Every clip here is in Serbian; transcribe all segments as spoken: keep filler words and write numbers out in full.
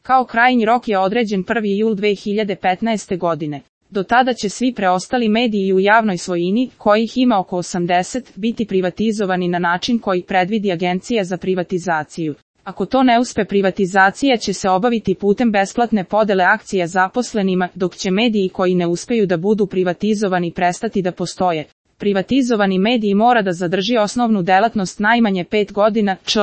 Kao krajnji rok je određen prvi jul dve hiljade petnaeste. godine. Do tada će svi preostali mediji u javnoj svojini, kojih ima oko osamdeset, biti privatizovani na način koji predvidi Agencija za privatizaciju. Ako to ne uspe, privatizacija će se obaviti putem besplatne podele akcija zaposlenima, dok će mediji koji ne uspeju da budu privatizovani prestati da postoje. Privatizovani mediji mora da zadrži osnovnu delatnost najmanje pet godina, čl.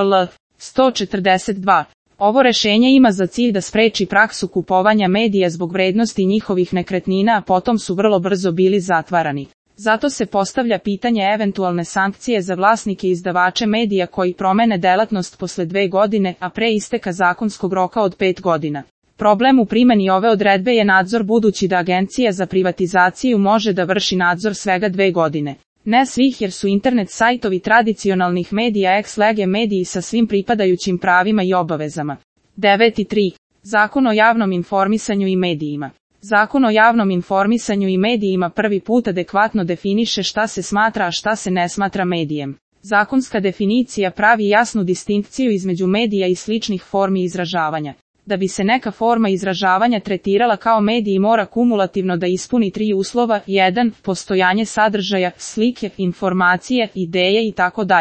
sto četrdeset dva. Ovo rešenje ima za cilj da spreči praksu kupovanja medija zbog vrednosti njihovih nekretnina, a potom su vrlo brzo bili zatvarani. Zato se postavlja pitanje eventualne sankcije za vlasnike i izdavače medija koji promene delatnost posle dve godine, a pre isteka zakonskog roka od pet godina. Problem u primjeni ove odredbe je nadzor, budući da Agencija za privatizaciju može da vrši nadzor svega dve godine. Ne svih, jer su internet sajtovi tradicionalnih medija ex lege mediji sa svim pripadajućim pravima i obavezama. devet tri. Zakon o javnom informisanju i medijima. Zakon o javnom informisanju i medijima prvi put adekvatno definiše šta se smatra, a šta se ne smatra medijem. Zakonska definicija pravi jasnu distinkciju između medija i sličnih formi izražavanja. Da bi se neka forma izražavanja tretirala kao medij, mora kumulativno da ispuni tri uslova: jedan. Postojanje sadržaja, slike, informacije, ideje itd.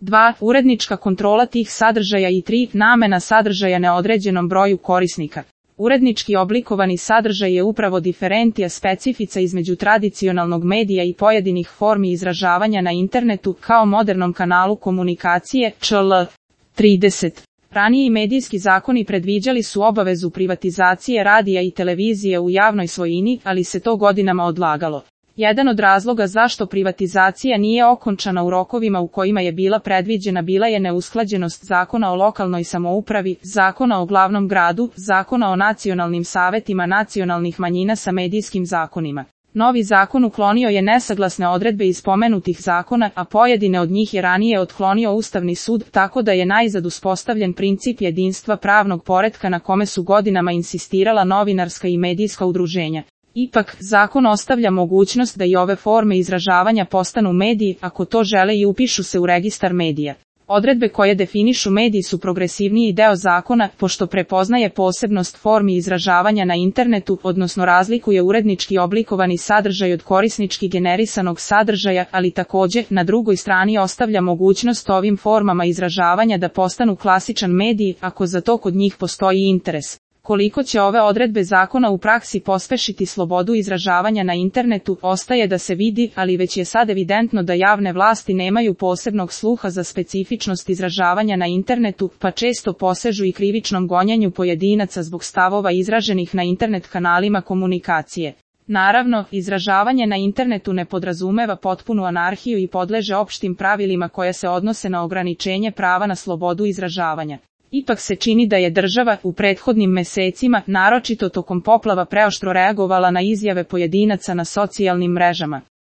dva. Urednička kontrola tih sadržaja i tri. Namena sadržaja neodređenom broju korisnika. Urednički oblikovani sadržaj je upravo diferentija specifica između tradicionalnog medija i pojedinih formi izražavanja na internetu kao modernom kanalu komunikacije, čl. trideset. Raniji medijski zakoni predviđali su obavezu privatizacije radija i televizije u javnoj svojini, ali se to godinama odlagalo. Jedan od razloga zašto privatizacija nije okončana u rokovima u kojima je bila predviđena bila je neusklađenost Zakona o lokalnoj samoupravi, Zakona o glavnom gradu, Zakona o nacionalnim savetima nacionalnih manjina sa medijskim zakonima. Novi zakon uklonio je nesaglasne odredbe iz pomenutih zakona, a pojedine od njih je ranije otklonio Ustavni sud, tako da je najzad uspostavljen princip jedinstva pravnog poretka na kome su godinama insistirala novinarska i medijska udruženja. Ipak, zakon ostavlja mogućnost da i ove forme izražavanja postanu mediji, ako to žele, i upišu se u registar medija. Odredbe koje definišu mediji su progresivniji deo zakona, pošto prepoznaje posebnost formi izražavanja na internetu, odnosno razlikuje urednički oblikovani sadržaj od korisnički generisanog sadržaja, ali takođe, na drugoj strani ostavlja mogućnost ovim formama izražavanja da postanu klasičan medij, ako za to kod njih postoji interes. Koliko će ove odredbe zakona u praksi pospešiti slobodu izražavanja na internetu, ostaje da se vidi, ali već je sad evidentno da javne vlasti nemaju posebnog sluha za specifičnost izražavanja na internetu, pa često posežu i krivičnom gonjenju pojedinaca zbog stavova izraženih na internet kanalima komunikacije. Naravno, izražavanje na internetu ne podrazumeva potpunu anarhiju i podleže opštim pravilima koja se odnose na ograničenje prava na slobodu izražavanja. Ipak se čini da je država u prethodnim mesecima, naročito tokom poplava, preoštro reagovala na izjave pojedinaca na socijalnim mrežama.